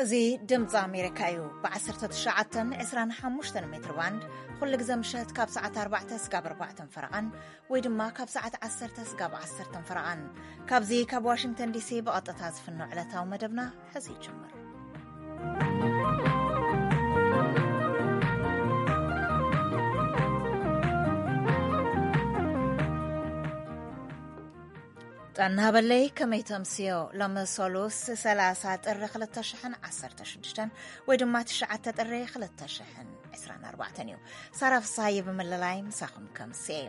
እዚ ድምፂ ኣሜሪካ እዩ። ብ19፣ 25 ሜትር ባንድ ኩሉ ግዜ ምሸት ካብ ሰዓት ኣርባዕተ ስጋብ ኣርባዕተን ፈረቓን ወይ ድማ ካብ ሰዓት ዓሰርተ ስጋብ ዓሰርተን ፈረቓን። ካብዚ ካብ ዋሽንግተን ዲሲ ብቐጥታ ዝፍኖ ዕለታዊ መደብና ሕዚ ይጅምር። ጥዕና ሃበለይ፣ ከመይ ተምስዮ? ሎሚ ሰሉስ ሰላሳ ጥሪ ክልተ ሽሕን ዓሰርተ ሽዱሽተን ወይ ድማ ትሽዓተ ጥሪ ክልተ ሽሕን ዕስራን ኣርባዕተን እዩ። ሳራ ፍስሃየ ብምልላይ ምሳኹም ከምስየ።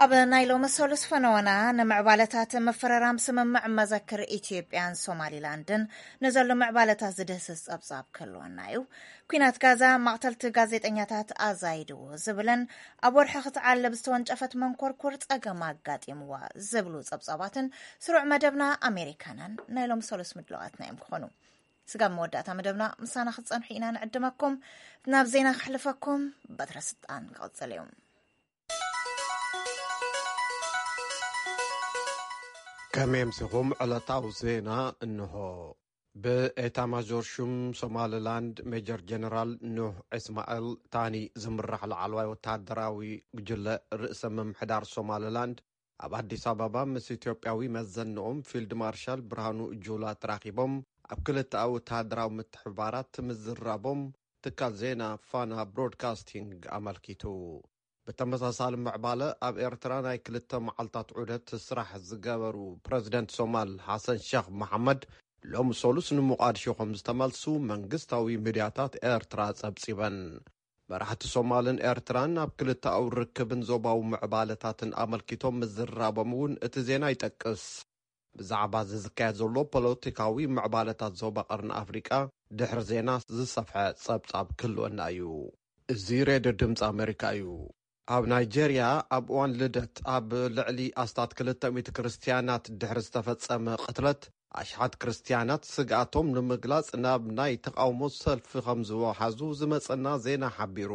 ኣብ ናይ ሎሚ ሰሉስ ፈነወና ንምዕባለታት ምፍርራም ስምምዕ መዘክር ኢትዮጵያን ሶማሊላንድን ንዘሎ ምዕባለታት ዝድህስስ ጸብጻብ ክህልወና እዩ። ኲናት ጋዛ መቕተልቲ ጋዜጠኛታት ኣዛይድዎ ዝብልን ኣብ ወርሒ ክትዓልብ ዝተወንጨፈት መንኮርኩር ጸገም ኣጋጢምዋ ዝብሉ ጸብጻባትን ስሩዕ መደብና ኣሜሪካናን ናይ ሎሚ ሰሉስ ምድላዋትና እዮም ክኾኑ። ስጋብ መወዳእታ መደብና ምሳና ክትጸንሑ ኢና ንዕድመኩም። ናብ ዜና ክሕልፈኩም፣ በትረ ስልጣን ክቕጽል እዩ። ከመይ ኣምሲኹም? ዕለታዊ ዜና እንሆ። ብኤታ ማጆር ሹም ሶማሊላንድ ሜጀር ጀነራል ኑሕ እስማኤል ታኒ ዝምራሕ ላዕለዋይ ወተሃደራዊ ጉጅለ ርእሰ ምምሕዳር ሶማሊላንድ ኣብ ኣዲስ ኣበባ ምስ ኢትዮጵያዊ መዘንኦም ፊልድ ማርሻል ብርሃኑ ጁላ ተራኺቦም ኣብ ክልተኣዊ ወተሃደራዊ ምትሕብባራት ምዝራቦም ትካል ዜና ፋና ብሮድካስቲንግ ኣመልኪቱ። ብተመሳሳሊ ምዕባለ ኣብ ኤርትራ ናይ ክልተ መዓልታት ዑደት ስራሕ ዝገበሩ ፕረዚደንት ሶማል ሓሰን ሸኽ መሓመድ ሎም ሰሉስ ንሞቓድሾ ከም ዝተመልሱ መንግስታዊ ሚድያታት ኤርትራ ጸብጺበን። መራሕቲ ሶማልን ኤርትራን ኣብ ክልተኣዊ ርክብን ዞባዊ ምዕባለታትን ኣመልኪቶም ምዝራቦም እውን እቲ ዜና ይጠቅስ። ብዛዕባ እዚ ዝካየድ ዘሎ ፖለቲካዊ ምዕባለታት ዞባ ቀርኒ ኣፍሪቃ ድሕሪ ዜና ዝሰፍሐ ጸብጻብ ክህልወና እዩ። እዚ ሬድዮ ድምፂ ኣሜሪካ እዩ። ኣብ ናይጄርያ ኣብ እዋን ልደት ኣብ ልዕሊ ኣስታት ክልተ ሚእቲ ክርስትያናት ድሕሪ ዝተፈጸመ ቅትለት ኣሽሓት ክርስትያናት ስግኣቶም ንምግላጽ ናብ ናይ ተቓውሞ ሰልፊ ከም ዝወሓዙ ዝመጸና ዜና ሓቢሩ።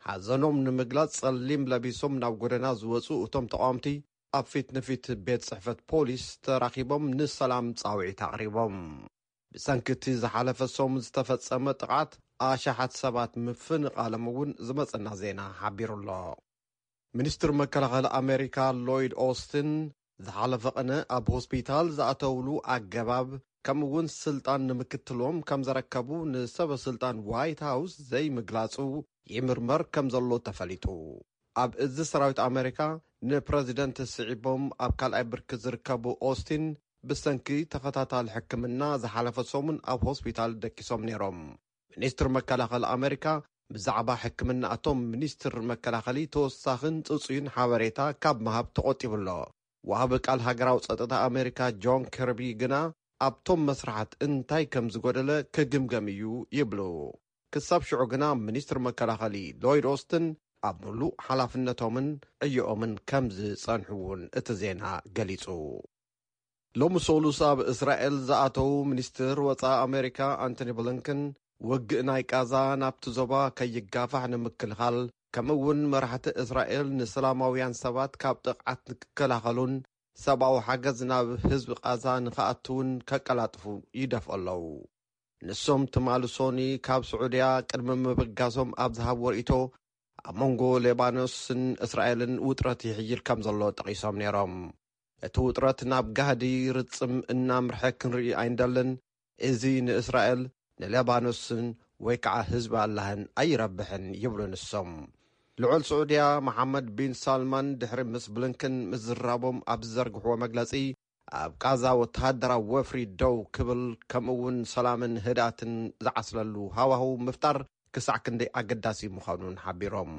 ሓዘኖም ንምግላጽ ጸሊም ለቢሶም ናብ ጎደና ዝወጹ እቶም ተቓወምቲ ኣብ ፊት ንፊት ቤት ጽሕፈት ፖሊስ ተራኺቦም ንሰላም ጻውዒት ኣቕሪቦም። ብሰንኪ እቲ ዝሓለፈ ሰሙን ዝተፈጸመ ጥቕዓት ኣሽሓት ሰባት ምፍንቓሎም እውን ዝመጸና ዜና ሓቢሩ ኣሎ። ሚኒስትር መከላኸሊ ኣሜሪካ ሎይድ ኦስትን ዝሓለፈ ቅነ ኣብ ሆስፒታል ዝኣተውሉ ኣገባብ ከምኡ እውን ስልጣን ንምክትሎም ከም ዘረከቡ ንሰበ ስልጣን ዋይት ሃውስ ዘይምግላጹ ይምርመር ከም ዘሎ ተፈሊጡ። ኣብ እዚ ሰራዊት ኣሜሪካ ንፕረዚደንት ስዒቦም ኣብ ካልኣይ ብርኪ ዝርከቡ ኦስቲን ብሰንኪ ተኸታታሊ ሕክምና ዝሓለፈ ሰሙን ኣብ ሆስፒታል ደቂሶም ነይሮም። ሚኒስትር መከላኸሊ ኣሜሪካ ብዛዕባ ሕክምና እቶም ሚኒስትር መከላኸሊ ተወሳኽን ጽጹይን ሓበሬታ ካብ ምሃብ ተቖጢቡ ኣሎ። ወሃቢ ቃል ሃገራዊ ጸጥታ ኣሜሪካ ጆን ከርቢ ግና ኣብቶም መስራሓት እንታይ ከም ዝጎደለ ክግምገም እዩ ይብሉ። ክሳብ ሽዑ ግና ሚኒስትር መከላኸሊ ሎይድ ኦስትን ኣብ ምሉእ ሓላፍነቶምን ዕዮኦምን ከም ዝጸንሑ እውን እቲ ዜና ገሊጹ። ሎሚ ሰሉስ ኣብ እስራኤል ዝኣተዉ ሚኒስትር ወጻኢ ኣሜሪካ ኣንቶኒ ብሊንከን ውግእ ናይ ቃዛ ናብቲ ዞባ ከይጋፋሕ ንምክልኻል ከምኡ እውን መራሕቲ እስራኤል ንሰላማውያን ሰባት ካብ ጥቕዓት ንክከላኸሉን ሰብኣዊ ሓገዝ ናብ ህዝቢ ቃዛ ንክኣትውን ከቀላጥፉ ይደፍኦ ኣለዉ። ንሶም ትማሊ ሶኒ ካብ ስዑድያ ቅድሚ ምብጋሶም ኣብ ዝሃብዎ ርእይቶ ኣብ መንጎ ሌባኖስን እስራኤልን ውጥረት ይሕይል ከም ዘሎ ጠቒሶም ነይሮም። እቲ ውጥረት ናብ ጋህዲ ርጽም እናምርሐ ክንርኢ ኣይንደልን። እዚ ንእስራኤል፣ ንሌባኖስን ወይ ከዓ ህዝቢ ኣላህን ኣይረብሕን ይብሉ ንሶም። ልዑል ስዑድያ መሓመድ ቢን ሳልማን ድሕሪ ምስ ብሊንከን ምዝራቦም ኣብ ዝዘርግሕዎ መግለጺ ኣብ ቃዛ ወተሃደራዊ ወፍሪ ደው ክብል ከምኡ እውን ሰላምን ህድኣትን ዝዓስለሉ ሃዋህው ምፍጣር ክሳዕ ክንደይ ኣገዳሲ ምዃኑን ሓቢሮም።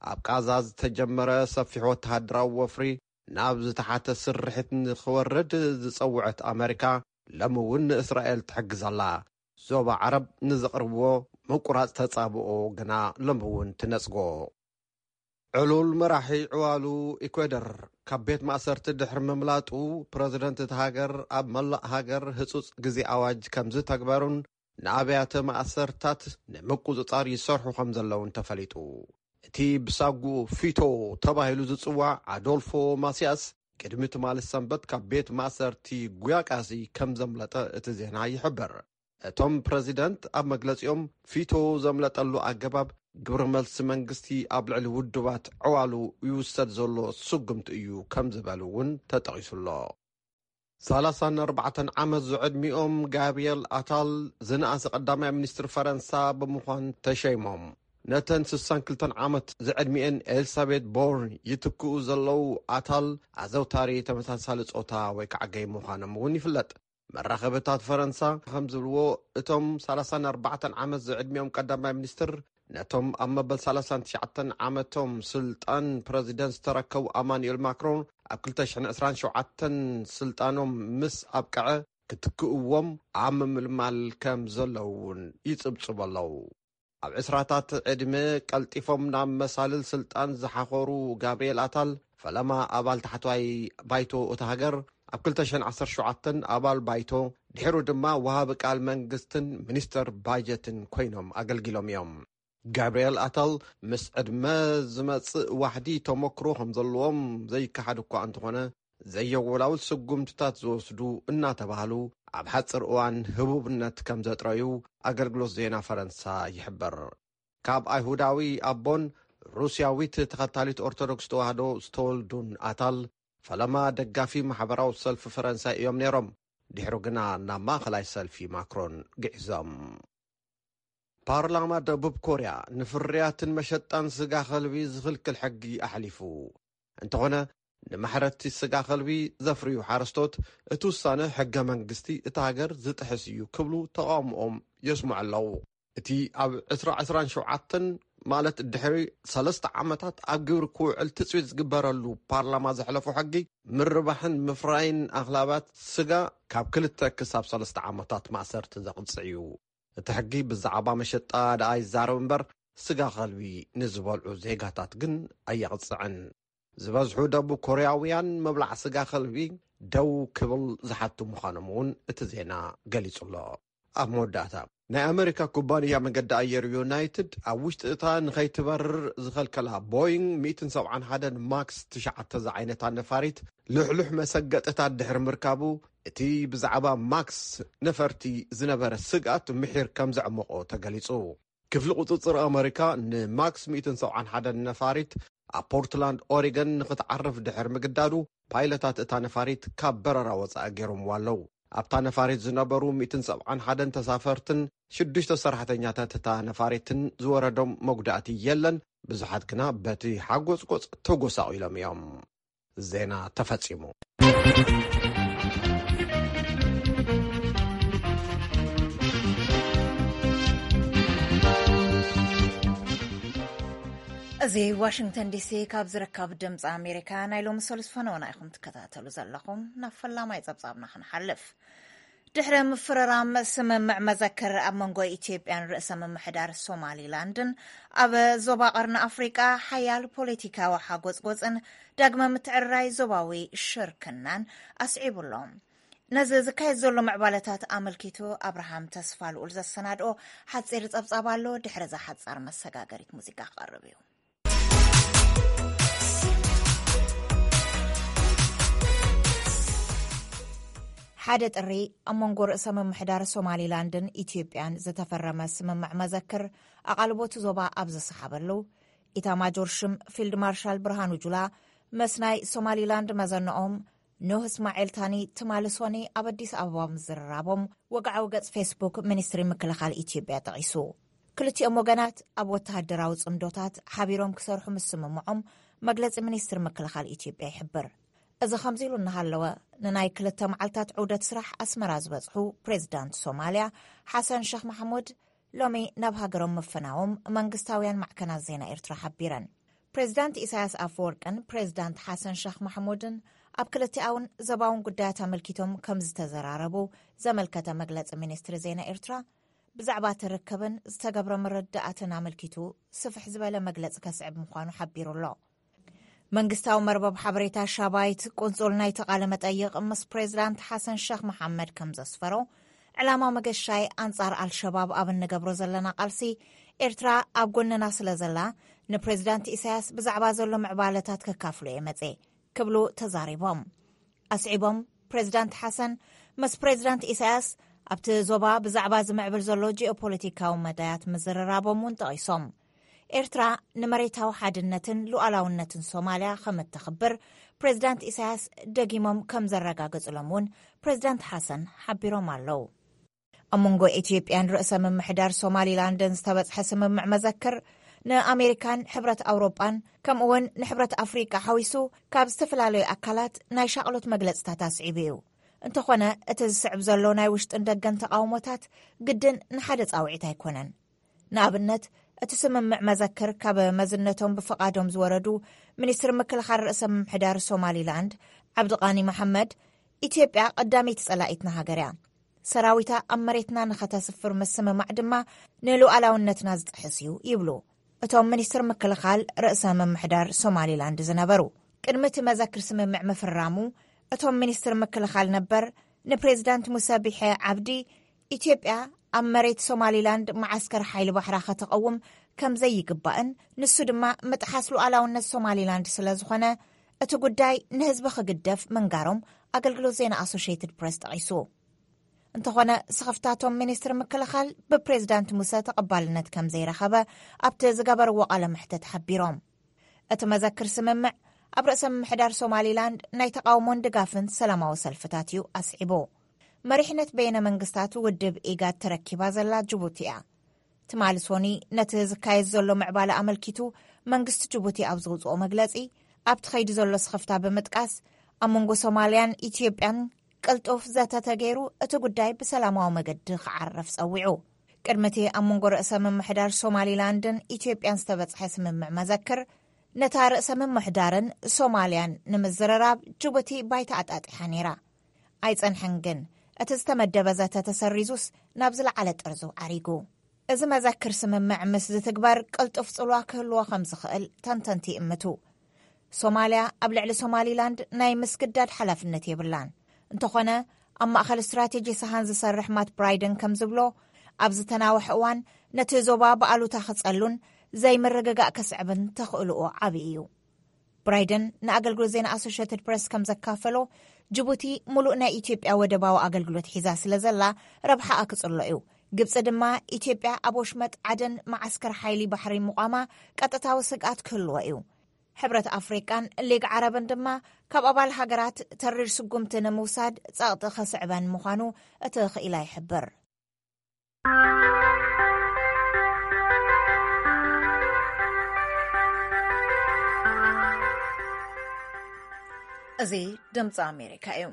ኣብ ቃዛ ዝተጀመረ ሰፊሕ ወተሃደራዊ ወፍሪ ናብ ዝተሓተ ስርሒት ንኽወርድ ዝጸውዐት ኣመሪካ ሎሚ እውን ንእስራኤል ትሕግዝ ኣላ። ዞባ ዓረብ ንዘቕርብዎ ምቁራጽ ተጻብኦ ግና ሎሚ እውን ትነጽጎ። ዕሉል መራሒ ዕዋሉ ኢኳዶር ካብ ቤት ማእሰርቲ ድሕሪ ምምላጡ ፕረዚደንት እቲ ሃገር ኣብ መላእ ሃገር ህጹጽ ግዜ ኣዋጅ ከም ዝተግበሩን ንኣብያተ ማእሰርታት ንምቁጽጻር ይሰርሑ ከም ዘለውን ተፈሊጡ። እቲ ብሳጉኡ ፊቶ ተባሂሉ ዝጽዋዕ ኣዶልፎ ማሲያስ ቅድሚ ትማሊ ሰንበት ካብ ቤት ማእሰርቲ ጉያቃሲ ከም ዘምለጠ እቲ ዜና ይሕብር። እቶም ፕረዚደንት ኣብ መግለጺኦም፣ ፊቶ ዘምለጠሉ ኣገባብ ግብረ መልሲ መንግስቲ ኣብ ልዕሊ ውድባት ዕዋሉ ይውሰድ ዘሎ ስጉምቲ እዩ ከም ዝበሉ እውን ተጠቒሱ ኣሎ። ሰላሳን ኣርባዕተን ዓመት ዝዕድሚኦም ጋብሪኤል ኣታል ዝነኣሰ ቀዳማይ ሚኒስትር ፈረንሳ ብምዃን ተሸይሞም። ነተን ስሳን ክልተን ዓመት ዝዕድሚኤን ኤልሳቤት ቦርን ይትክኡ ዘለዉ ኣታል፣ ኣዘውታሪ ተመሳሳሊ ጾታ ወይ ከዓ ገይ ምዃኖም እውን ይፍለጥ። መራኸብታት ፈረንሳ ከም ዝብልዎ፣ እቶም ሰላሳን ኣርባዕተን ዓመት ዝዕድሚኦም ቀዳማይ ሚኒስትር ነቶም ኣብ መበል ሰላሳን ትሽዓተን ዓመቶም ስልጣን ፕረዚደንት ዝተረከቡ ኣማኑኤል ማክሮን ኣብ ክልተ ሽሕን ዕስራን ሸውዓተን ስልጣኖም ምስ ኣብቅዐ ክትክእዎም ኣብ ምምልማል ከም ዘለዉ እውን ይጽብጽቡ ኣለዉ። ኣብ ዕስራታት ዕድመ ቀልጢፎም ናብ መሳልል ስልጣን ዝሓኾሩ ጋብርኤል ኣታል፣ ፈለማ ኣባል ታሕተዋይ ባይቶ እታ ሃገር፣ ኣብ ክልተ ሽሕን ዓሰርተ ሸውዓተን ኣባል ባይቶ፣ ድሕሩ ድማ ወሃቢ ቃል መንግስትን ሚኒስተር ባጀትን ኮይኖም ኣገልጊሎም እዮም። ጋብርኤል ኣታል ምስ ዕድመ ዝመጽእ ዋሕዲ ተመክሮ ከም ዘለዎም ዘይከሓድ እኳ እንተኾነ፣ ዘየወላውል ስጉምትታት ዝወስዱ እናተባህሉ ኣብ ሓጽር እዋን ህቡብነት ከም ዘጥረዩ ኣገልግሎት ዜና ፈረንሳ ይሕብር። ካብ ኣይሁዳዊ ኣቦን ሩስያዊት ተኸታሊት ኦርቶዶክስ ተዋህዶ ዝተወልዱን ኣታል፣ ፈለማ ደጋፊ ማሕበራዊ ሰልፊ ፈረንሳይ እዮም ነይሮም። ድሕሩ ግና ናብ ማእኸላይ ሰልፊ ማክሮን ግዒዞም። ፓርላማ ደቡብ ኮርያ ንፍርያትን መሸጣን ስጋ ከልቢ ዝኽልክል ሕጊ ኣሕሊፉ። እንተኾነ፣ ንማሕረድቲ ስጋ ከልቢ ዘፍርዩ ሓረስቶት፣ እቲ ውሳነ ሕገ መንግስቲ እታ ሃገር ዝጥሕስ እዩ ክብሉ ተቓውሞኦም የስምዑ ኣለዉ። እቲ ኣብ ዕስራ ዕስራን ሸውዓተን፣ ማለት ድሕሪ ሰለስተ ዓመታት ኣብ ግብሪ ክውዕል ትጽቢት ዝግበረሉ ፓርላማ ዘሕለፎ ሕጊ፣ ምርባሕን ምፍራይን ኣኽላባት ስጋ ካብ ክልተ ክሳብ ሰለስተ ዓመታት ማእሰርቲ ዘቕጽዕ እዩ። እቲ ሕጊ ብዛዕባ መሸጣ ደኣ ይዛረብ እምበር፣ ስጋ ከልቢ ንዝበልዑ ዜጋታት ግን ኣየቕጽዕን። ዝበዝሑ ደቡብ ኮርያውያን ምብላዕ ስጋ ከልቢ ደው ክብል ዝሓቱ ምዃኖም እውን እቲ ዜና ገሊጹ ኣሎ። ኣብ መወዳእታ፣ ናይ ኣመሪካ ኩባንያ መገዲ ኣየር ዩናይትድ ኣብ ውሽጢ እታ ንኸይትበርር ዝኸልከላ ቦይንግ ሚእትን ሰብዓን ሓደን ማክስ ትሽዓተ ዝዓይነታ ነፋሪት ልሕሉሕ መሰገጥታት ድሕሪ ምርካቡ፣ እቲ ብዛዕባ ማክስ ነፈርቲ ዝነበረ ስግኣት ምሒር ከም ዘዕመቖ ተገሊጹ። ክፍሊ ቁጽጽር ኣመሪካ ንማክስ ሚእትን ሰብዓን ሓደን ነፋሪት ኣብ ፖርትላንድ ኦሪገን ንኽትዓርፍ ድሕሪ ምግዳዱ፣ ፓይለታት እታ ነፋሪት ካብ በረራ ወጻኢ ገይሮምዋ ኣለዉ። ኣብታ ነፋሪት ዝነበሩ ሚእትን ሰብዓን ሓደን ተሳፈርትን ሽዱሽተ ሰራሕተኛታት እታ ነፋሪትን ዝወረዶም መጉዳእቲ የለን። ብዙሓት ግና በቲ ሓጎጽጎጽ ተጎሳቒሎም እዮም። ዜና ተፈጺሙ። እዚ ዋሽንግተን ዲሲ ካብ ዝርከብ ድምፂ ኣሜሪካ ናይ ሎሚ ሰሉስ ፈነወና ኢኹም ትከታተሉ ዘለኹም። ናብ ፈላማይ ጸብጻብና ክንሓልፍ። ድሕሪ ምፍርራም ስምምዕ መዘክር ኣብ መንጎ ኢትዮጵያን ርእሰ ምምሕዳር ሶማሊላንድን፣ ኣብ ዞባ ቀርኒ ኣፍሪቃ ሓያል ፖለቲካዊ ሓጎጽጎጽን ዳግመ ምትዕርራይ ዞባዊ ሽርክናን ኣስዒቡ ኣሎ። ነዚ ዝካየድ ዘሎ ምዕባለታት ኣመልኪቱ ኣብርሃም ተስፋ ልኡል ዘሰናድኦ ሓጺር ጸብጻብ ኣሎ። ድሕሪ እዛ ሓጻር መሰጋገሪት ሙዚቃ ክቐርብ እዩ። ሓደ ጥሪ ኣብ መንጎ ርእሰ ምምሕዳር ሶማሊላንድን ኢትዮጵያን ዝተፈረመ ስምምዕ መዘክር ኣቓልቦ እቲ ዞባ ኣብ ዝሰሓበሉ፣ ኢታማጆር ሽም ፊልድ ማርሻል ብርሃኑ ጁላ ምስ ናይ ሶማሊላንድ መዘንኦም ኖህ እስማኤል ታኒ ትማሊ ሶኒ ኣብ ኣዲስ ኣበባ ምዝርራቦም ወግዓዊ ገጽ ፌስቡክ ሚኒስትሪ ምክልኻል ኢትዮጵያ ጠቒሱ። ክልቲኦም ወገናት ኣብ ወተሃደራዊ ጽምዶታት ሓቢሮም ክሰርሑ ምስምምዖም መግለጺ ሚኒስትሪ ምክልኻል ኢትዮጵያ ይሕብር። እዚ ከምዚ ኢሉ እናሃለወ፣ ንናይ ክልተ መዓልታት ዑደት ስራሕ ኣስመራ ዝበጽሑ ፕሬዚዳንት ሶማልያ ሓሰን ሸኽ ማሕሙድ ሎሚ ናብ ሃገሮም ምፍናዎም መንግስታውያን ማዕከናት ዜና ኤርትራ ሓቢረን። ፕሬዚዳንት ኢሳያስ ኣፈወርቅን ፕሬዚዳንት ሓሰን ሸኽ ማሕሙድን ኣብ ክልቲኣውን ዘባውን ጉዳያት ኣመልኪቶም ከም ዝተዘራረቡ ዘመልከተ መግለጺ ሚኒስትሪ ዜና ኤርትራ፣ ብዛዕባ እቲ ርክብን ዝተገብረ ምርድዳኣትን ኣመልኪቱ ስፍሕ ዝበለ መግለጺ ከስዕብ ምዃኑ ሓቢሩ ኣሎ። መንግስታዊ መርበብ ሓበሬታ ሻባይት ቁንጹል ናይቲ ቃለ መጠይቕ ምስ ፕሬዚዳንት ሓሰን ሸኽ መሓመድ ከም ዘስፈሮ፣ ዕላማ መገሻይ ኣንጻር ኣልሸባብ ኣብ እንገብሮ ዘለና ቃልሲ ኤርትራ ኣብ ጎንና ስለ ዘላ፣ ንፕሬዚዳንት ኢሳያስ ብዛዕባ ዘሎ ምዕባለታት ከካፍሎ እየ መጼ ክብሉ ተዛሪቦም። ኣስዒቦም፣ ፕሬዚዳንት ሓሰን ምስ ፕሬዚዳንት ኢሳያስ ኣብቲ ዞባ ብዛዕባ ዝምዕብል ዘሎ ጂኦፖለቲካዊ መዳያት ምዝርራቦም እውን ጠቒሶም። ኤርትራ ንመሬታዊ ሓድነትን ሉዓላውነትን ሶማልያ ከም እተኽብር ፕሬዚዳንት ኢሳያስ ደጊሞም ከም ዘረጋገጹሎም እውን ፕሬዚዳንት ሓሰን ሓቢሮም ኣለዉ። ኣብ መንጎ ኢትዮጵያን ርእሰ ምምሕዳር ሶማሊላንድን ዝተበጽሐ ስምምዕ መዘክር ንኣሜሪካን ሕብረት ኣውሮጳን ከምኡውን ንሕብረት ኣፍሪቃ ሓዊሱ ካብ ዝተፈላለዩ ኣካላት ናይ ሻቕሎት መግለጽታት ኣስዒቡ እዩ። እንተኾነ እቲ ዝስዕብ ዘሎ ናይ ውሽጥን ደገን ተቓውሞታት ግድን ንሓደ ጻውዒት ኣይኮነን። ንኣብነት እቲ ስምምዕ መዘክር ካብ መዝነቶም ብፍቓዶም ዝወረዱ ሚኒስትር ምክልኻል ርእሰ ምምሕዳር ሶማሊላንድ ዓብድቃኒ መሓመድ፣ ኢትዮጵያ ቀዳመይቲ ጸላኢትና ሃገር እያ፣ ሰራዊታ ኣብ መሬትና ንኸተስፍር ምስምማዕ ድማ ንሉዓላውነትና ዝጥሕስ እዩ ይብሉ እቶም ሚኒስትር ምክልኻል ርእሰ ምምሕዳር ሶማሊላንድ ዝነበሩ። ቅድሚ እቲ መዘክር ስምምዕ ምፍራሙ እቶም ሚኒስትር ምክልኻል ነበር ንፕሬዚዳንት ሙሰ ቢሐ ዓብዲ ኢትዮጵያ ኣብ መሬት ሶማሊላንድ መዓስከር ሓይሊ ባሕራ ከተቐውም ከም ዘይግባእን ንሱ ድማ ምጥሓስ ሉዓላውነት ሶማሊላንድ ስለ ዝኾነ እቲ ጉዳይ ንህዝቢ ክግደፍ ምንጋሮም ኣገልግሎት ዜና ኣሶሽየትድ ፕሬስ ጠቒሱ። እንተኾነ ስኽፍታቶም ሚኒስትር ምክልኻል ብፕሬዚዳንት ሙሰ ተቐባልነት ከም ዘይረኸበ ኣብቲ ዝገበርዎ ቃለ መሕተት ሓቢሮም። እቲ መዘክር ስምምዕ ኣብ ርእሰ ምምሕዳር ሶማሊላንድ ናይ ተቓውሞን ድጋፍን ሰላማዊ ሰልፍታት እዩ ኣስዒቡ። መሪሕነት በይነ መንግስታት ውድብ ኢጋድ ተረኪባ ዘላ ጅቡቲ እያ። ትማሊ ሶኒ ነቲ ዝካየድ ዘሎ ምዕባለ ኣመልኪቱ መንግስቲ ጅቡቲ ኣብ ዘውፅኦ መግለፂ ኣብቲ ኸይዲ ዘሎ ስኽፍታ ብምጥቃስ ኣብ መንጎ ሶማልያን ኢትዮጵያን ቅልጡፍ ዘተ ተገይሩ እቲ ጉዳይ ብሰላማዊ መገዲ ክዓረፍ ጸዊዑ። ቅድሚ እቲ ኣብ መንጎ ርእሰ ምምሕዳር ሶማሊላንድን ኢትዮጵያን ዝተበጽሐ ስምምዕ መዘክር ነታ ርእሰ ምምሕዳርን ሶማልያን ንምዝርራብ ጅቡቲ ባይታ ኣጣጢሓ ነይራ። ኣይጸንሐን ግን እቲ ዝተመደበ ዘተ ተሰሪዙስ ናብ ዝለዓለ ጥርዙ ዓሪጉ። እዚ መዘክር ስምምዕ ምስ ዝትግበር ቅልጡፍ ጽልዋ ክህልዎ ከም ዝኽእል ተንተንቲ ይእምቱ። ሶማልያ ኣብ ልዕሊ ሶማሊላንድ ናይ ምስግዳድ ሓላፍነት የብላን። እንተኾነ ኣብ ማእኸል ስትራቴጂ ሰሃን ዝሰርሕ ማት ብራይደን ከም ዝብሎ ኣብ ዝተናውሐ እዋን ነቲ ዞባ ብኣሉታ ክጸሉን ዘይምርግጋእ ከስዕብን ተኽእልኦ ዓብዪ እዩ። ብራይደን ንኣገልግሎት ዜና ኣሶሽትድ ፕሬስ ከም ዘካፈሎ ጅቡቲ ሙሉእ ናይ ኢትዮጵያ ወደባዊ ኣገልግሎት ሒዛ ስለ ዘላ ረብሓኣ ክጽሎ እዩ። ግብጺ ድማ ኢትዮጵያ ኣብ ወሽመጥ ዓደን መዓስከር ሓይሊ ባሕሪ ምቋማ ቀጥታዊ ስግኣት ክህልዎ እዩ። ሕብረት ኣፍሪቃን ሊግ ዓረብን ድማ ካብ ኣባል ሃገራት ተሪር ስጉምቲ ንምውሳድ ጸቕጢ ከስዕበን ምዃኑ እቲ ክኢላ ይሕብር። እዚ ድምፂ ኣሜሪካ እዩ።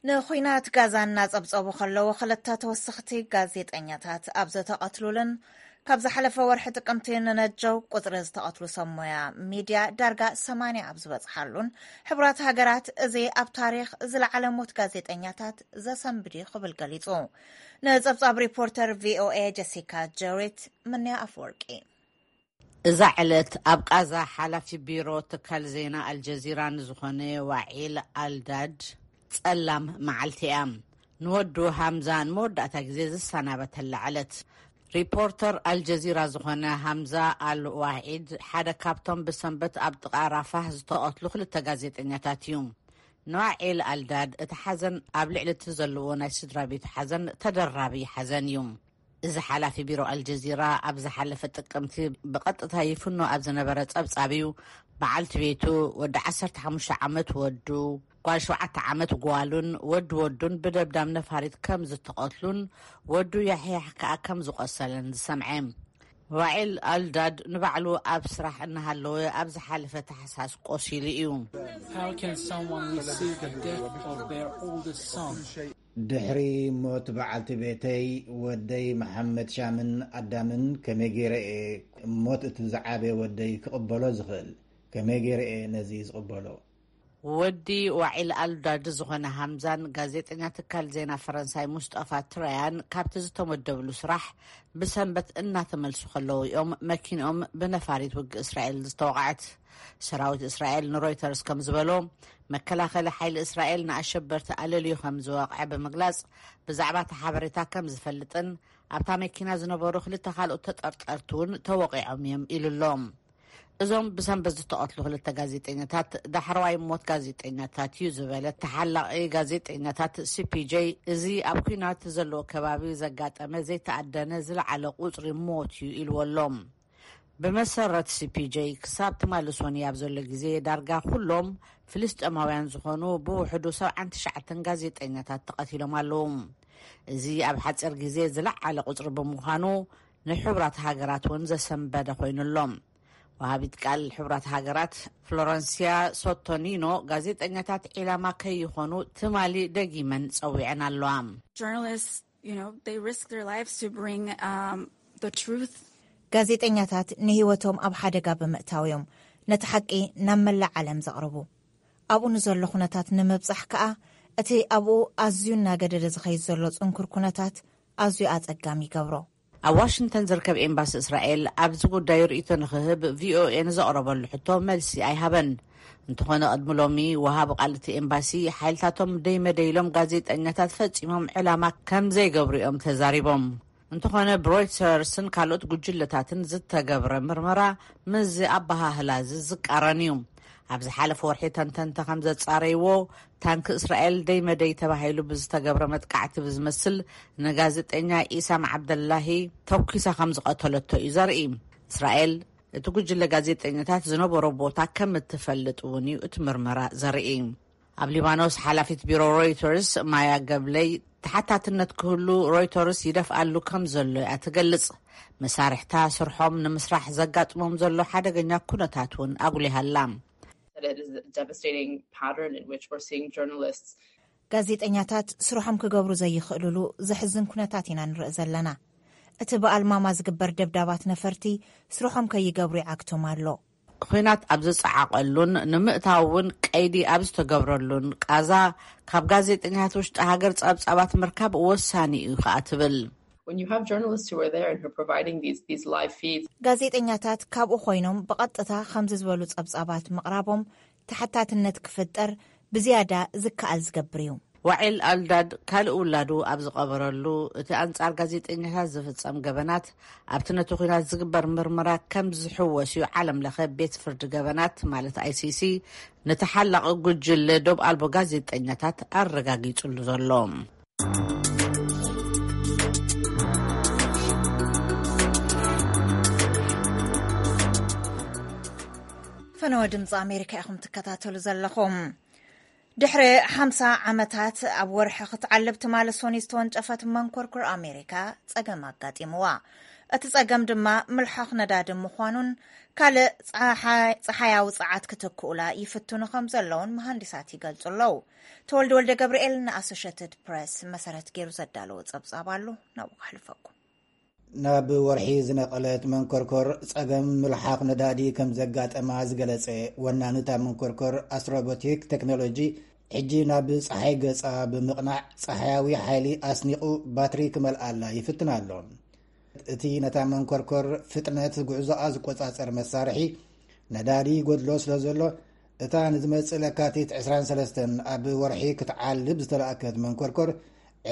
ንኹናት ጋዛ እናጸብጸቡ ከለዉ ክልተ ተወሰኽቲ ጋዜጠኛታት ኣብ ዝተቐትሉልን ካብ ዝሓለፈ ወርሒ ጥቅምቲ ንነጀው ቁጽሪ ዝተቐትሉ ሰብ ሞያ ሚድያ ዳርጋ ሰማንያ ኣብ ዝበጽሓሉን ሕቡራት ሃገራት እዚ ኣብ ታሪኽ ዝለዓለ ሞት ጋዜጠኛታት ዘሰንብድ እዩ ክብል ገሊጹ። ንጸብጻብ ሪፖርተር ቪኦኤ ጀሲካ ጀሪት ምንያ ኣፈወርቂ። እዛ ዕለት ኣብ ቃዛ ሓላፊ ቢሮ ትካል ዜና ኣልጀዚራ ንዝኾነ ዋዒል ኣልዳድ ጸላም መዓልቲ እያ። ንወዱ ሃምዛ ንመወዳእታ ግዜ ዝሰናበተላ ዕለት። ሪፖርተር ኣልጀዚራ ዝኾነ ሃምዛ ኣል ዋዒድ ሓደ ካብቶም ብሰንበት ኣብ ጥቓ ራፋህ ዝተቐትሉ ክልተ ጋዜጠኛታት እዩ። ንዋዒል ኣልዳድ እቲ ሓዘን ኣብ ልዕሊ እቲ ዘለዎ ናይ ስድራ ቤቱ ሓዘን ተደራቢ ሓዘን እዩ። እዚ ሓላፊ ቢሮ ኣልጀዚራ ኣብ ዝሓለፈ ጥቅምቲ ብቐጥታ ይፍኖ ኣብ ዝነበረ ጸብጻብ እዩ። በዓልቲ ቤቱ፣ ወዲ ዓሰርተ ሓሙሽተ ዓመት ወዱ፣ ጓል ሸውዓተ ዓመት ጓሉን ወዲ ወዱን ብደብዳብ ነፋሪት ከም ዝተቐትሉን ወዱ ያሕያሕ ከኣ ከም ዝቖሰለን ዝሰምዐ። ዋዒል ኣልዳድ ንባዕሉ ኣብ ስራሕ እናሃለወ ኣብ ዝሓለፈ ታሕሳስ ቆሲሉ እዩ። How can someone receive the death of their oldest son? ድሕሪ ሞት በዓልቲ ቤተይ፣ ወደይ መሓመድ ሻምን ኣዳምን ከመይ ገይረ እየ ሞት እቲ ዝዓበየ ወደይ ክቕበሎ ዝኽእል? ከመይ ገይረ እየ ነዚ ዝቕበሎ? ወዲ ዋዒል ኣልዳድ ዝኾነ ሃምዛን ጋዜጠኛ ትካል ዜና ፈረንሳይ ሙስጠፋ ትራያን ካብቲ ዝተመደብሉ ስራሕ ብሰንበት እናተመልሱ ከለዉ እዮም መኪንኦም ብነፋሪት ውግእ እስራኤል ዝተወቕዐት። ሰራዊት እስራኤል ንሮይተርስ ከም ዝበሎ፣ መከላኸሊ ሓይሊ እስራኤል ንኣሸበርቲ ኣለልዩ ከም ዝወቕዐ ብምግላጽ፣ ብዛዕባ እቲ ሓበሬታ ከም ዝፈልጥን ኣብታ መኪና ዝነበሩ ክልተ ካልኦት ተጠርጠርቲ እውን ተወቒዖም እዮም ኢሉ ኣሎ። እዞም ብሰንበት ዝተቐትሉ ክልተ ጋዜጠኛታት ዳሕረዋይ ሞት ጋዜጠኛታት እዩ ዝበለ ተሓላቒ ጋዜጠኛታት ሲ ፒ ጄ፣ እዚ ኣብ ኲናት ዘለዎ ከባቢ ዘጋጠመ ዘይተኣደነ ዝለዓለ ቁጽሪ ሞት እዩ ኢልዎ ኣሎ። ብመሰረት ሲ ፒ ጄ፣ ክሳብ ትማሊ ሶኒ ኣብ ዘሎ ግዜ ዳርጋ ኩሎም ፍልስጤማውያን ዝኾኑ ብውሕዱ ሰብዓን ትሽዓተን ጋዜጠኛታት ተቐቲሎም ኣለዉ። እዚ ኣብ ሓጺር ግዜ ዝለዓለ ቁጽሪ ብምዃኑ፣ ንሕቡራት ሃገራት እውን ዘሰንበደ ኮይኑ ኣሎ። ወሃቢት ቃል ሕቡራት ሃገራት ፍሎረንሲያ ሶቶኒኖ፣ ጋዜጠኛታት ዒላማ ከይኾኑ ትማሊ ደጊመን ጸዊዐን ኣለዋ። Journalists, you know, they risk their lives to bring um, the truth. ጋዜጠኛታት ንህይወቶም ኣብ ሓደጋ ብምእታው እዮም ነቲ ሓቂ ናብ መላእ ዓለም ዘቕርቡ። ኣብኡ ንዘሎ ኩነታት ንምብጻሕ ከኣ፣ እቲ ኣብኡ ኣዝዩ እናገደደ ዝኸይድ ዘሎ ጽንኩር ኩነታት ኣዝዩ ኣጸጋሚ ይገብሮ። ኣብ ዋሽንግተን ዝርከብ ኤምባሲ እስራኤል ኣብዚ ጉዳይ ርእይቶ ንኽህብ ቪ ኦ ኤ ንዘቕረበሉ ሕቶ መልሲ ኣይሃበን። እንተኾነ፣ ቅድሚ ሎሚ ወሃቢ ቃል እቲ ኤምባሲ፣ ሓይልታቶም ደይመደይ ኢሎም ጋዜጠኛታት ፈጺሞም ዕላማ ከም ዘይገብሩ እዮም ተዛሪቦም። እንተኾነ፣ ብሮይተርስን ካልኦት ጉጅለታትን ዝተገብረ ምርመራ ምስዚ ኣበሃህላ እዚ ዝቃረን እዩ። ኣብ ዝሓለፈ ወርሒ፣ ተንተንቲ ከም ዘጻረይዎ፣ ታንኪ እስራኤል ደይ መደይ ተባሂሉ ብዝተገብረ መጥቃዕቲ ብዝመስል፣ ንጋዜጠኛ ኢሳም ዓብደላሂ ተኩሳ ከም ዝቐተለቶ እዩ ዘርኢ። እስራኤል፣ እቲ ጉጅለ ጋዜጠኛታት ዝነበሮ ቦታ ከም እትፈልጥ እውን እዩ እቲ ምርመራ ዘርኢ። ኣብ ሊባኖስ፣ ሓላፊት ቢሮ ሮይተርስ ማያ ገብለይ፣ ተሓታትነት ክህሉ ሮይተርስ ይደፍኣሉ ከም ዘሎ እያ ትገልጽ። መሳርሕታ ስርሖም ንምስራሕ ዘጋጥሞም ዘሎ ሓደገኛ ኩነታት እውን ኣጉሊሃ ኣላ። That it is a devastating pattern in which we're seeing journalists ጋዜጠኛታት ስርሖም ክገብሩ ዘይኽእልሉ ዘሕዝን ኩነታት ኢና ንርኢ ዘለና። እቲ ብኣልማማ ዝግበር ደብዳባት ነፈርቲ ስርሖም ከይገብሩ ይዓግቶም ኣሎ። ኲናት ኣብ ዝጸዓቐሉን ንምእታው እውን ቀይዲ ኣብ ዝተገብረሉን ቃዛ፣ ካብ ጋዜጠኛታት ውሽጢ ሃገር ጸብጻባት ምርካብ ወሳኒ እዩ ከኣ ትብል። When you have journalists who are there and who are providing these these live feeds, ጋዜጠኛታት ካብኡ ኮይኖም ብቐጥታ ከምዚ ዝበሉ ጸብጻባት ምቕራቦም፣ ተሓታትነት ክፍጠር ብዝያዳ ዝከኣል ዝገብር እዩ። ዋዒል ኣልዳድ ካልእ ውላዱ ኣብ ዝቐበረሉ፣ እቲ ኣንጻር ጋዜጠኛታት ዝፍጸም ገበናት ኣብቲ ነቲ ኲናት ዝግበር ምርመራ ከም ዝሕወስ እዩ ዓለም ለኸ ቤት ፍርዲ ገበናት፣ ማለት ኣይ ሲ ሲ፣ ንተሓላቒ ጉጅለ ዶብ ኣልቦ ጋዜጠኛታት ኣረጋጊጹሉ ዘሎ። ፈነወ ድምፂ ኣሜሪካ ኢኹም ትከታተሉ ዘለኹም። ድሕሪ ሓምሳ ዓመታት ኣብ ወርሒ ክትዓልብ ትማሊ ሶኒ ዝተወንጨፈት መንኮርኩር ኣሜሪካ ጸገም ኣጋጢምዋ። እቲ ጸገም ድማ ምልሓኽ ነዳዲ ምዃኑን ካልእ ጸሓያዊ ጸዓት ክትክኡላ ይፍትኑ ከም ዘለውን መሃንዲሳት ይገልጹ ኣለዉ። ተወልደ ወልደ ገብርኤል ንኣሶሸትድ ፕረስ መሰረት ገይሩ ዘዳለዎ ጸብጻብ ኣሎ፣ ናብኡ ከሕልፈኩም። ናብ ወርሒ ዝነቐለት መንኮርኮር ጸገም ምልሓኽ ነዳዲ ከም ዘጋጠማ ዝገለጸ ወናንታ መንኮርኮር ኣስትሮቦቲክ ቴክኖሎጂ፣ ሕጂ ናብ ጸሓይ ገጻ ብምቕናዕ ጸሓያዊ ሓይሊ ኣስኒቑ ባትሪ ክመልኣላ ይፍትን ኣሎ። እቲ ነታ መንኮርኮር ፍጥነት ጉዕዞኣ ዝቆጻጸር መሳርሒ ነዳዲ ይጎድሎ ስለ ዘሎ፣ እታ ንዝመጽእ ለካቲት ዕስራን ሰለስተን ኣብ ወርሒ ክትዓልብ ዝተላእከት መንኮርኮር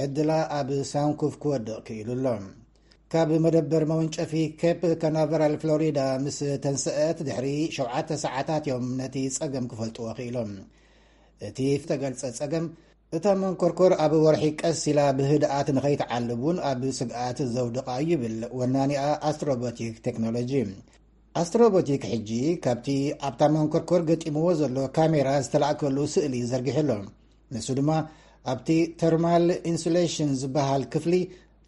ዕድላ ኣብ ሳንኩፍ ክወድቕ ክኢሉ ኣሎ። ካብ መደበር መወንጨፊ ኬፕ ካናቨራል ፍሎሪዳ ምስ ተንስአት ድሕሪ ሸውዓተ ሰዓታት እዮም ነቲ ጸገም ክፈልጥዎ ክኢሎም። እቲ ዝተገልጸ ጸገም፣ እታ መንኮርኮር ኣብ ወርሒ ቀስ ኢላ ብህድኣት ንኸይትዓልብ እውን ኣብ ስግኣት ዘውድቓ እዩ ይብል ወናኒኣ ኣስትሮቦቲክ ቴክኖሎጂ። ኣስትሮቦቲክ ሕጂ ካብቲ ኣብታ መንኮርኮር ገጢምዎ ዘሎ ካሜራ ዝተላእከሉ ስእሊ ዘርጊሑ ኣሎ። ንሱ ድማ ኣብቲ ተርማል ኢንሱሌሽን ዝበሃል ክፍሊ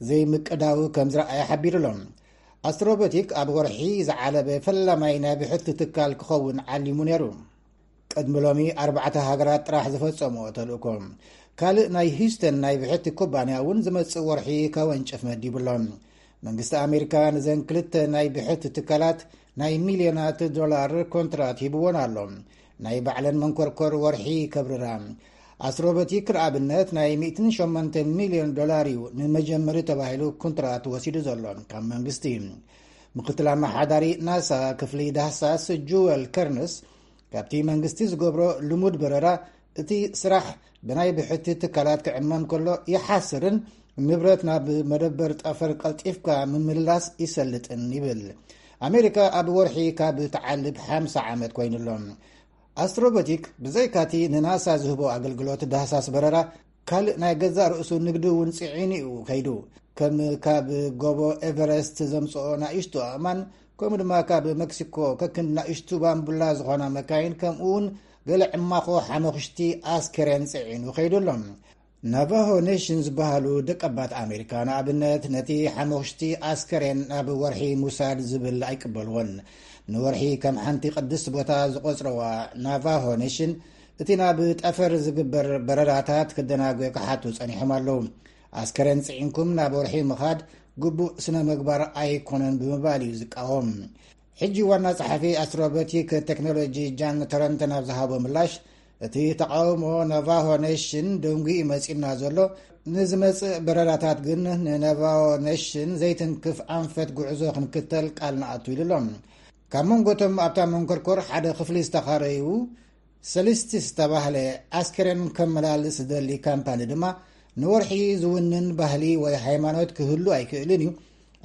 ዘይምቅዳው ከም ዝረኣየ ሓቢሩ ኣሎ። ኣስትሮቦቲክ ኣብ ወርሒ ዝዓለበ ፈላማይ ናይ ብሕቲ ትካል ክኸውን ዓሊሙ ነይሩ። ቅድሚ ሎሚ ኣርባዕተ ሃገራት ጥራሕ ዝፈጸምኦ ተልእኮ። ካልእ ናይ ሂውስተን ናይ ብሕቲ ኩባንያ እውን ዝመጽእ ወርሒ ከወንጭፍ መዲቡ ኣሎ። መንግስቲ ኣሜሪካ ንዘን ክልተ ናይ ብሕቲ ትካላት ናይ ሚልዮናት ዶላር ኮንትራት ሂብዎን ኣሎ። ናይ ባዕለን መንኮርኮር ወርሒ ከብርራ። ኣስትሮቦቲክ ንኣብነት ናይ ሚእትን ሸሞንተን ሚልዮን ዶላር እዩ ንመጀመሪ ተባሂሉ ኮንትራት ወሲዱ ዘሎ ካብ መንግስቲ። ምክትል ኣመሓዳሪ ናሳ ክፍሊ ዳህሳስ ጁወል ከርንስ፣ ካብቲ መንግስቲ ዝገብሮ ልሙድ በረራ፣ እቲ ስራሕ ብናይ ብሕቲ ትካላት ክዕመም ከሎ ይሓስርን ንብረት ናብ መደበር ጠፈር ቀልጢፍካ ምምልላስ ይሰልጥን ይብል። ኣሜሪካ ኣብ ወርሒ ካብ ትዓልብ ሓምሳ ዓመት ኮይኑ ኣሎ። ኣስትሮቦቲክ ብዘይካቲ ንናሳ ዝህቦ ኣገልግሎት ዳህሳስ በረራ፣ ካልእ ናይ ገዛእ ርእሱ ንግዲ እውን ጽዒኑ እዩ ከይዱ። ከም ካብ ጎቦ ኤቨረስት ዘምጽኦ ናእሽቱ ኣእማን፣ ከምኡ ድማ ካብ መክሲኮ ከክንዲ ናእሽቱ ባምቡላ ዝኾና መካይን፣ ከምኡ እውን ገለ ዕማኾ ሓመኽሽቲ ኣስከሬን ጽዒኑ ከይዱ ኣሎ። ናቫሆ ኔሽን ዝበሃሉ ደቀባት ኣሜሪካ፣ ንኣብነት፣ ነቲ ሓመኽሽቲ ኣስከሬን ናብ ወርሒ ሙሳድ ዝብል ኣይቅበልዎን። ንወርሒ ከም ሓንቲ ቅድስቲ ቦታ ዝቆጽረዋ ናቫሆ ኔሽን፣ እቲ ናብ ጠፈር ዝግበር በረራታት ክደናጎ ክሓቱ ጸኒሖም ኣለዉ። ኣስከሬን ጽዒንኩም ናብ ወርሒ ምኻድ ግቡእ ስነ ምግባር ኣይኮነን ብምባል እዩ ዝቃወም። ሕጂ ዋና ጸሓፊ ኣስትሮቦቲክ ቴክኖሎጂ ጃን ተረንተን ኣብ ዝሃቦ ምላሽ፣ እቲ ተቃውሞ ናቫሆ ኔሽን ደንጉዩ መጺና ዘሎ፣ ንዝመጽእ በረራታት ግን ንናቫሆ ኔሽን ዘይትንክፍ ኣንፈት ጉዕዞ ክንክተል ቃል ንኣቱ ኢሉ ኣሎ። ካብ መንጎቶም ኣብታ መንኮርኮር ሓደ ክፍሊ ዝተኻረዩ ሰሊስቲስ ዝተባህለ ኣስከሬን ከመላልስ ዝደሊ ካምፓኒ ድማ፣ ንወርሒ ዝውንን ባህሊ ወይ ሃይማኖት ክህሉ ኣይክእልን እዩ፣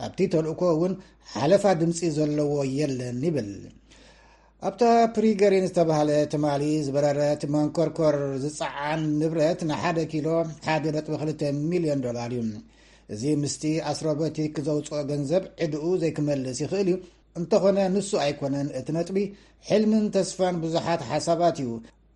ኣብቲ ተልእኮ እውን ሓለፋ ድምፂ ዘለዎ የለን ይብል። ኣብታ ፕሪገሪን ዝተባህለ ትማሊ ዝበረረት መንኮርኮር ዝፀዓን ንብረት ንሓደ ኪሎ ሓደ ነጥቢ ክልተ ሚልዮን ዶላር እዩ። እዚ ምስቲ ኣስትሮቦቲክ ዘውፅኦ ገንዘብ ዕድኡ ዘይክመልስ ይኽእል እዩ። እንተኾነ ንሱ ኣይኮነን እቲ ነጥቢ፣ ሕልምን ተስፋን ብዙሓት ሓሳባት እዩ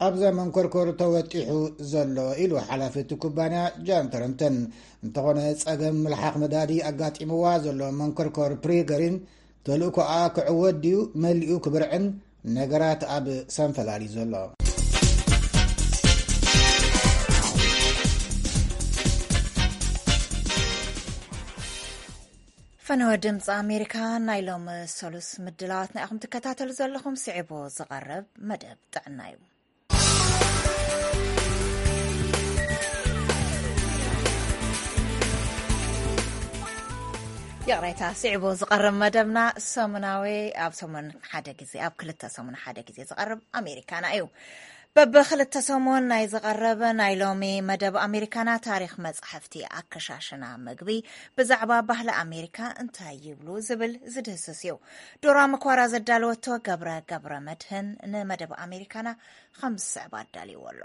ኣብዛ መንኮርኮር ተወጢሑ ዘሎ ኢሉ ሓላፊ እቲ ኩባንያ ጃን ተረንተን። እንተኾነ ጸገም ምልሓኽ ነዳዲ ኣጋጢምዋ ዘሎ መንኮርኮር ፕሪገሪን ተልእኮኣ ክዕወት ድዩ መሊኡ ክብርዕን ነገራት ኣብ ሰንፈላል እዩ ዘሎ። ፈነወ ድምፂ ኣሜሪካ ናይ ሎም ሰሉስ ምድላዋትና ኢኹም ትከታተሉ ዘለኹም። ስዒቡ ዝቐርብ መደብ ጥዕና እዩ። ይቕሬታ፣ ስዒቡ ዝቐርብ መደብና ሰሙናዊ፣ ኣብ ሰሙን ሓደ ግዜ፣ ኣብ ክልተ ሰሙን ሓደ ግዜ ዝቐርብ ኣሜሪካና እዩ። በብክልተ ሰሙን ናይ ዝቐርብ ናይ ሎሚ መደብ ኣሜሪካና ታሪኽ መጻሕፍቲ፣ ኣከሻሽና ምግቢ፣ ብዛዕባ ባህሊ ኣሜሪካ እንታይ ይብሉ ዝብል ዝድህስስ እዩ። ዶራ መኳራ ዘዳለወቶ ገብረ ገብረ መድህን ንመደብ ኣሜሪካና ከም ዝስዕብ ኣዳልይዎ ኣሎ።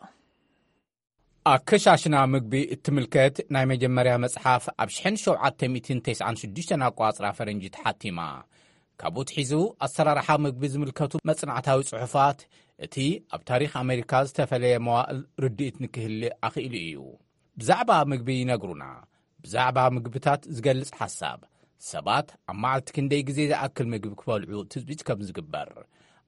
ኣከሻሽና ምግቢ እትምልከት ናይ መጀመርያ መጽሓፍ ኣብ ሽሕን ሸውዓተ ሚእትን ተስዓን ሽዱሽተን ኣቋጽራ ፈረንጂ ተሓቲማ። ካብኡ ትሒዙ ኣሰራርሓ ምግቢ ዝምልከቱ መጽናዕታዊ ጽሑፋት፣ እቲ ኣብ ታሪኽ ኣሜሪካ ዝተፈለየ መዋእል ርድኢት ንክህልእ ኣኽኢሉ እዩ። ብዛዕባ ምግቢ ይነግሩና። ብዛዕባ ምግብታት ዝገልጽ ሓሳብ፣ ሰባት ኣብ መዓልቲ ክንደይ ግዜ ዝኣክል ምግቢ ክበልዑ ትጽቢት ከም ዝግበር፣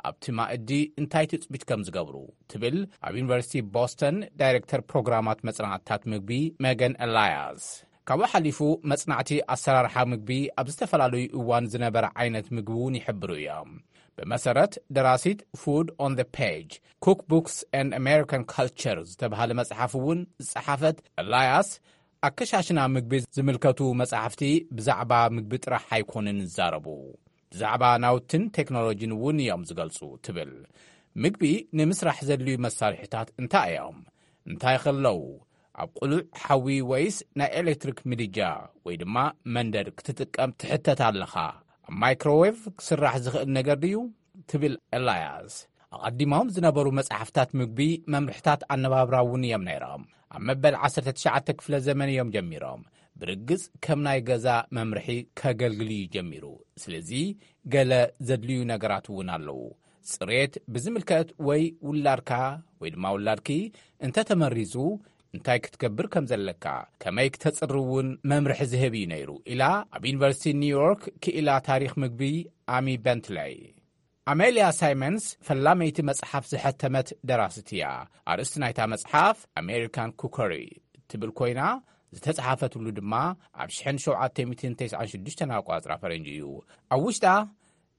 ኣብቲ ማእዲ እንታይ ትጽቢት ከም ዝገብሩ ትብል ኣብ ዩኒቨርሲቲ ቦስተን ዳይሬክተር ፕሮግራማት መጽናዕትታት ምግቢ መገን ኤላያስ። ካብኡ ሓሊፉ መጽናዕቲ ኣሰራርሓ ምግቢ ኣብ ዝተፈላለዩ እዋን ዝነበረ ዓይነት ምግቢ እውን ይሕብሩ እዮም። ብመሰረት ደራሲት Food on the Page, Cookbooks and American Culture ዝተባህለ መጽሓፍ እውን ዝጸሓፈት ኤላያስ፣ ኣከሻሽና ምግቢ ዝምልከቱ መጻሕፍቲ ብዛዕባ ምግቢ ጥራሕ ኣይኮኑን ዝዛረቡ። ብዛዕባ ናውትን ቴክኖሎጂን እውን እዮም ዝገልጹ ትብል። ምግቢ ንምስራሕ ዘድልዩ መሳርሒታት እንታይ እዮም? እንታይ ከለዉ? ኣብ ቅሉዕ ሓዊ ወይስ ናይ ኤሌክትሪክ ምድጃ ወይ ድማ መንደድ ክትጥቀም ትሕተት ኣለኻ? ኣብ ማይክሮዌቭ ክስራሕ ዝኽእል ነገር ድዩ? ትብል ኤላያስ። ኣቐዲሞም ዝነበሩ መጻሕፍታት ምግቢ መምርሕታት ኣነባብራ እውን እዮም ነይሮም። ኣብ መበል ዓሰርተ ትሽዓተ ክፍለ ዘመን እዮም ጀሚሮም። ብርግጽ ከም ናይ ገዛ መምርሒ ከገልግል እዩ ጀሚሩ። ስለዚ ገለ ዘድልዩ ነገራት እውን ኣለዉ። ጽሬት ብዝምልከት ወይ ውላድካ ወይ ድማ ውላድኪ እንተተመሪዙ እንታይ ክትገብር ከም ዘለካ፣ ከመይ ክተጽሪ እውን መምርሒ ዝህብ እዩ ነይሩ ኢላ ኣብ ዩኒቨርሲቲ ኒውዮርክ ክኢላ ታሪኽ ምግቢ ኣሚ በንትለይ። ኣሜልያ ሳይመንስ ፈላመይቲ መጽሓፍ ዝሐተመት ደራሲት እያ። ኣርእስቲ ናይታ መጽሓፍ ኣሜሪካን ኩከሪ ትብል ኮይና፣ ዝተጻሓፈትሉ ድማ ኣብ ሽሕን ሸውዓተ ሚእትን ተስዓን ሽዱሽተን ኣቋጽራ ፈረንጂ እዩ። ኣብ ውሽጣ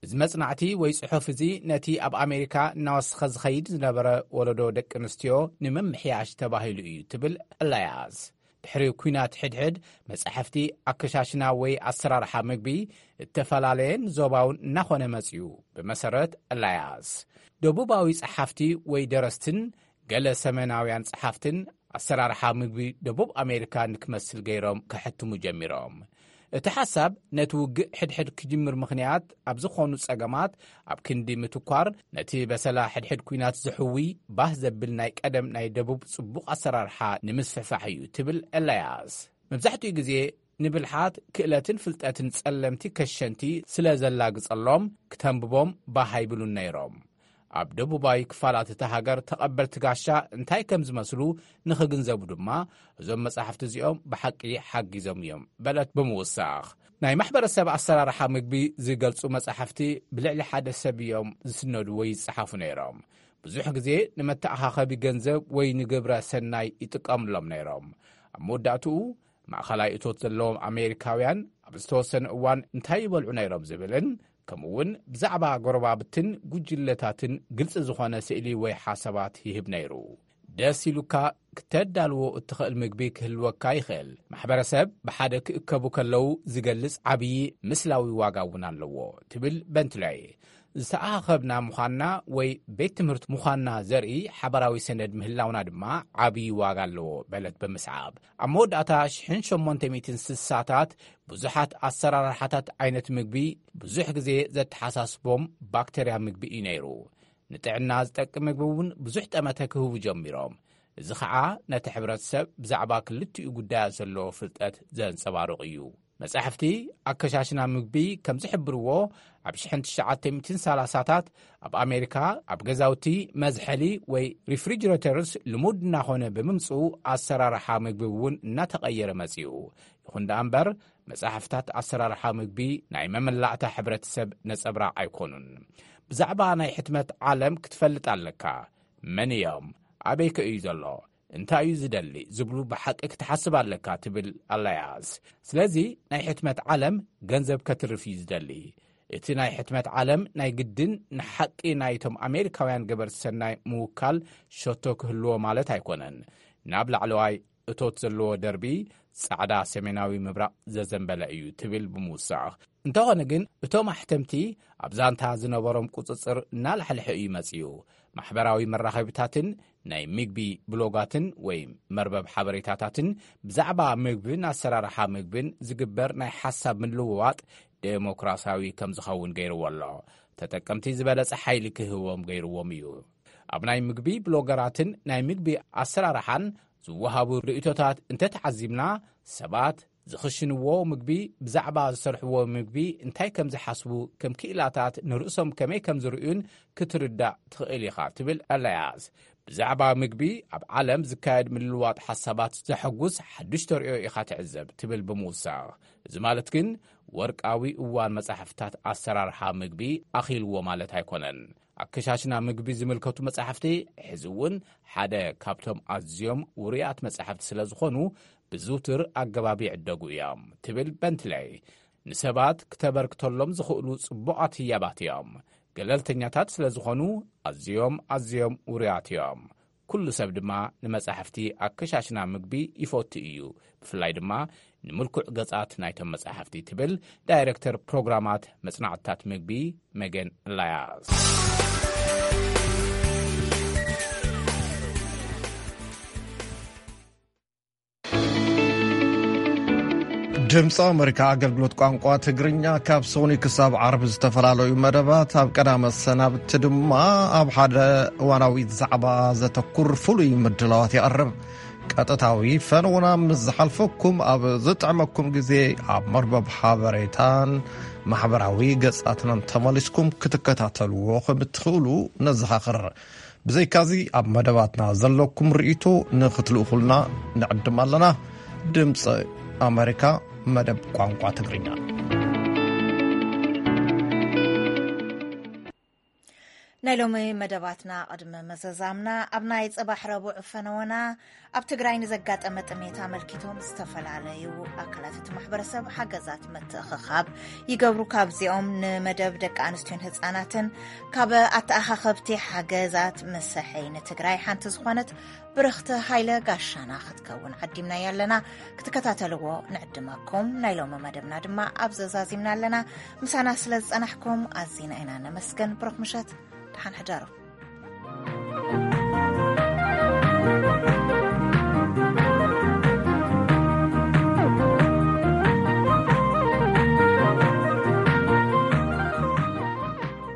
እዚ መጽናዕቲ ወይ ጽሑፍ እዚ ነቲ ኣብ ኣሜሪካ እናወሰኸ ዝኸይድ ዝነበረ ወለዶ ደቂ ኣንስትዮ ንምምሕያሽ ተባሂሉ እዩ ትብል ኤላያስ። ድሕሪ ኲናት ሕድሕድ መጻሕፍቲ ኣከሻሽና ወይ ኣሰራርሓ ምግቢ እተፈላለየን ዞባውን እናኾነ መጺኡ። ብመሰረት ኤላያስ፣ ደቡባዊ ጸሓፍቲ ወይ ደረስትን ገለ ሰሜናውያን ጸሓፍትን ኣሰራርሓ ምግቢ ደቡብ ኣሜሪካ ንክመስል ገይሮም ከሕትሙ ጀሚሮም። እቲ ሓሳብ ነቲ ውግእ ሕድሕድ ክጅምር ምኽንያት ኣብ ዝኾኑ ጸገማት ኣብ ክንዲ ምትኳር፣ ነቲ በሰላ ሕድሕድ ኲናት ዝሕዊ ባህ ዘብል ናይ ቀደም ናይ ደቡብ ጽቡቕ ኣሰራርሓ ንምስፍሕፋሕ እዩ ትብል ኤላያስ። መብዛሕትኡ ግዜ ንብልሓት፣ ክእለትን ፍልጠትን ጸለምቲ ከሸንቲ ስለ ዘላግጸሎም፣ ክተንብቦም ባህ ኣይብሉን ነይሮም። ኣብ ደቡባዊ ክፋላት እታ ሃገር ተቐበልቲ ጋሻ እንታይ ከም ዝመስሉ ንኽግንዘቡ ድማ፣ እዞም መጻሕፍቲ እዚኦም ብሓቂ ሓጊዞም እዮም በለት ብምውሳኽ። ናይ ማሕበረሰብ ኣሰራርሓ ምግቢ ዝገልጹ መጻሕፍቲ ብልዕሊ ሓደ ሰብ እዮም ዝስነዱ ወይ ይጸሓፉ ነይሮም። ብዙሕ ግዜ ንመተኣኻኸቢ ገንዘብ ወይ ንግብረ ሰናይ ይጥቀምሎም ነይሮም። ኣብ መወዳእትኡ፣ ማእኸላይ እቶት ዘለዎም ኣሜሪካውያን ኣብ ዝተወሰነ እዋን እንታይ ይበልዑ ነይሮም ዝብልን፣ ከምኡውን ብዛዕባ ጎረባብትን ጉጅለታትን ግልጺ ዝኾነ ስእሊ ወይ ሓሳባት ይህብ ነይሩ። ደስ ኢሉካ ክተዳልዎ እትኽእል ምግቢ ክህልወካ ይኽእል። ማሕበረሰብ ብሓደ ክእከቡ ከለዉ ዝገልጽ ዓብዪ ምስላዊ ዋጋ እውን ኣለዎ ትብል በንትለይ። ዝተኣኻኸብና ምዃንና ወይ ቤት ትምህርቲ ምዃንና ዘርኢ ሓባራዊ ሰነድ ምህላውና ድማ ዓብዪ ዋጋ ኣለዎ በለት ብምስዓብ። ኣብ መወዳእታ ሽሕን ሸሞንተ ሚእትን ስሳታት ብዙሓት ኣሰራርሓታት ዓይነት ምግቢ ብዙሕ ግዜ ዘተሓሳስቦም ባክተርያ ምግቢ እዩ ነይሩ። ንጥዕና ዝጠቅም ምግቢ እውን ብዙሕ ጠመተ ክህቡ ጀሚሮም። እዚ ኸዓ ነቲ ሕብረተሰብ ብዛዕባ ክልቲኡ ጉዳያት ዘለዎ ፍልጠት ዘንጸባርቕ እዩ። መጻሕፍቲ ኣከሻሽና ምግቢ ከም ዝሕብርዎ፣ ኣብ ሽሕን ትሽዓተ ሚእትን ሰላሳታት ኣብ ኣሜሪካ ኣብ ገዛውቲ መዝሐሊ ወይ ሪፍሪጅሬተርስ ልሙድ እናኾነ ብምምጽኡ፣ ኣሰራርሓ ምግቢ እውን እናተቐየረ መጺኡ። ይኹን ደኣ እምበር፣ መጻሕፍታት ኣሰራርሓ ምግቢ ናይ መመላእታ ሕብረተሰብ ነጸብራቕ ኣይኮኑን። ብዛዕባ ናይ ሕትመት ዓለም ክትፈልጥ ኣለካ። መን እዮም? ኣበይከ እዩ ዘሎ? እንታይ እዩ ዝደሊ? ዝብሉ ብሓቂ ክትሓስብ ኣለካ ትብል ኣላያስ። ስለዚ ናይ ሕትመት ዓለም ገንዘብ ከትርፍ እዩ ዝደሊ። እቲ ናይ ሕትመት ዓለም ናይ ግድን ንሓቂ ናይቶም ኣሜሪካውያን ገበርቲ ሰናይ ምውካል ሸቶ ክህልዎ ማለት ኣይኮነን። ናብ ላዕለዋይ እቶት ዘለዎ ደርቢ ጻዕዳ ሰሜናዊ ምብራቕ ዘዘንበለ እዩ ትብል ብምውሳኽ። እንተኾነ ግን እቶም ኣሕተምቲ ኣብ ዛንታ ዝነበሮም ቁጽጽር እናላሕልሐ እዩ መጺኡ። ማሕበራዊ መራኸቢታትን ናይ ምግቢ ብሎጋትን ወይ መርበብ ሓበሬታታትን ብዛዕባ ምግብን ኣሰራርሓ ምግብን ዝግበር ናይ ሓሳብ ምልውዋጥ ዴሞክራሲያዊ ከም ዝኸውን ገይርዎ ኣሎ። ተጠቀምቲ ዝበለጸ ሓይሊ ክህቦም ገይርዎም እዩ። ኣብ ናይ ምግቢ ብሎገራትን ናይ ምግቢ ኣሰራርሓን ዝወሃቡ ርእይቶታት እንተተዓዚብና፣ ሰባት ዝኽሽንዎ ምግቢ፣ ብዛዕባ ዝሰርሕዎ ምግቢ እንታይ ከም ዝሓስቡ፣ ከም ክኢላታት ንርእሶም ከመይ ከም ዝርእዩን ክትርዳእ ትኽእል ኢኻ ትብል ኣላያስ። ብዛዕባ ምግቢ ኣብ ዓለም ዝካየድ ምልልዋጥ ሓሳባት ዘሐጉስ ሓድሽ ተርእዮ ኢኻ ትዕዘብ ትብል ብምውሳኽ፣ እዚ ማለት ግን ወርቃዊ እዋን መጻሕፍታት ኣሰራርሓ ምግቢ ኣኺልዎ ማለት ኣይኮነን። ኣከሻሽና ምግቢ ዝምልከቱ መጻሕፍቲ ሕዚ እውን ሓደ ካብቶም ኣዝዮም ውሩያት መጻሕፍቲ ስለ ዝኾኑ፣ ብዝውትር ኣገባብ ይዕደጉ እዮም ትብል በንትለይ። ንሰባት ክተበርክተሎም ዝኽእሉ ጽቡቓት ህያባት እዮም። ገለልተኛታት ስለ ዝኾኑ ኣዝዮም ኣዝዮም ውሩያት እዮም። ኩሉ ሰብ ድማ ንመጻሕፍቲ ኣከሻሽና ምግቢ ይፈቱ እዩ። ብፍላይ ድማ ንምልኩዕ ገጻት ናይቶም መጻሕፍቲ ትብል ዳይረክተር ፕሮግራማት መጽናዕትታት ምግቢ መገን ላያስ። ድምፂ ኣመሪካ ኣገልግሎት ቋንቋ ትግርኛ ካብ ሰኑይ ክሳብ ዓርቢ ዝተፈላለዩ መደባት ኣብ ቀዳመ ሰናብቲ ድማ ኣብ ሓደ እዋናዊ ዛዕባ ዘተኩር ፍሉይ ምድላዋት የቕርብ። ቀጥታዊ ፈነውና ምስ ዝሓልፈኩም ኣብ ዝጥዕመኩም ግዜ ኣብ መርበብ ሓበሬታን ማሕበራዊ ገጻትናን ተመሊስኩም ክትከታተልዎ ከም እትኽእሉ ነዘኻኽር። ብዘይካዚ ኣብ መደባትና ዘለኩም ርእይቶ ንኽትልእኹልና ንዕድም ኣለና። ድምፂ ኣመሪካ መደብ ቋንቋ ትግርኛ። ናይ ሎሚ መደባትና ቅድሚ መዘዛምና ኣብ ናይ ጽባሕ ረቡዕ ፈነወና ኣብ ትግራይ ንዘጋጠመ ጥሜት ኣመልኪቶም ዝተፈላለዩ ኣካላት እቲ ማሕበረሰብ ሓገዛት ምትእኽኻብ ይገብሩ። ካብዚኦም ንመደብ ደቂ ኣንስትዮን ህፃናትን ካብ ኣተኣኻኸብቲ ሓገዛት መሰሐይ ንትግራይ ሓንቲ ዝኾነት ብርኽቲ ሃይለ ጋሻና ክትከውን ዓዲምናያ ኣለና። ክትከታተልዎ ንዕድመኩም። ናይ ሎሚ መደብና ድማ ኣብ ዘዛዚምና ኣለና። ምሳና ስለ ዝጸናሕኩም ኣዚና ኢና ነመስገን። ብሩኽ ምሸት፣ ደሓን ሕደሩ።